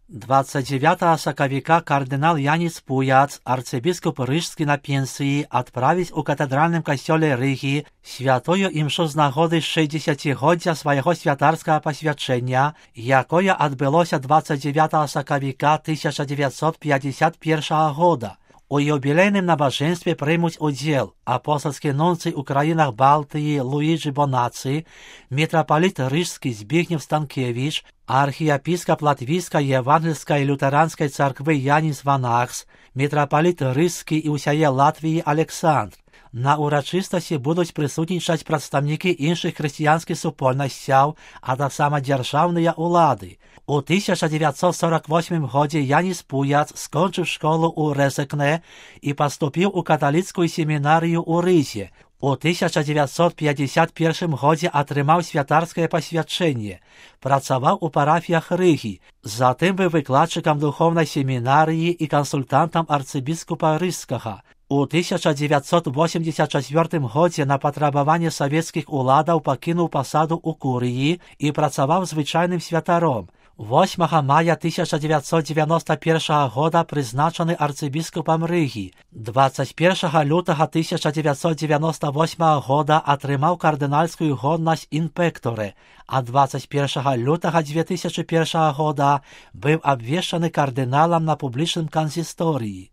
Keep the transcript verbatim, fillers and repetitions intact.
двадцать девятого сакавіка кардынал Яніс Пуяц, арцыбіскуп рыжскі на пенсіі, адправіць у катедральным касцёле Рыгі святую імшу з нагоды шэсцідзесяцігоддзя свайго святарскага пасвячэння, якое адбылося двадцать девятого сакавіка тысяча девятьсот пятьдесят первого года. У юбілейным набажэнстве прымуць удзел апостальскі нунцый у краінах Балтыі Луіджы Бонацы, мітрапаліт рыжскі Збігнеў Станкевіч, архіепіскап латвійскай евангельскай лютэранскай царквы Яніс Ванахс, мітрапаліт рыжскі і ўсяе Латвіі Александр. На урачыстасці будуць прысутнічаць прадстаўнікі іншых хрысціянскіх супольнасцяў, а таксама дзяржаўныя ўлады. У тысяча девятьсот сорок восьмым годзе Яніс Пуяц скончыў школу ў Рэзекне і паступіў у каталіцкую семінарыю ў Рызе. У тысяча девятьсот пятьдесят первым годзе атрымаў святарскае пасвячэнне, працаваў у парафіях Рыгі, затым быў выкладчыкам духоўнай семінарыі і кансультантам арцыбіскупа Рыжскага. У тысяча девятьсот восемьдесят четвёртым годзе на патрабаванне савецкіх уладаў пакінуў пасаду ў курыі і працаваў звычайным святаром. восьмага мая тысяча девятьсот девяносто первого года прызначаны арцыбіскупам Рыгі. двадцать первого лютага тысяча девятьсот девяносто восьмого года атрымаў кардынальскую годнасць інспекторы, а двадцать первого лютага две тысячи первого года быў абвешчаны кардыналам на публічным кансісторыі.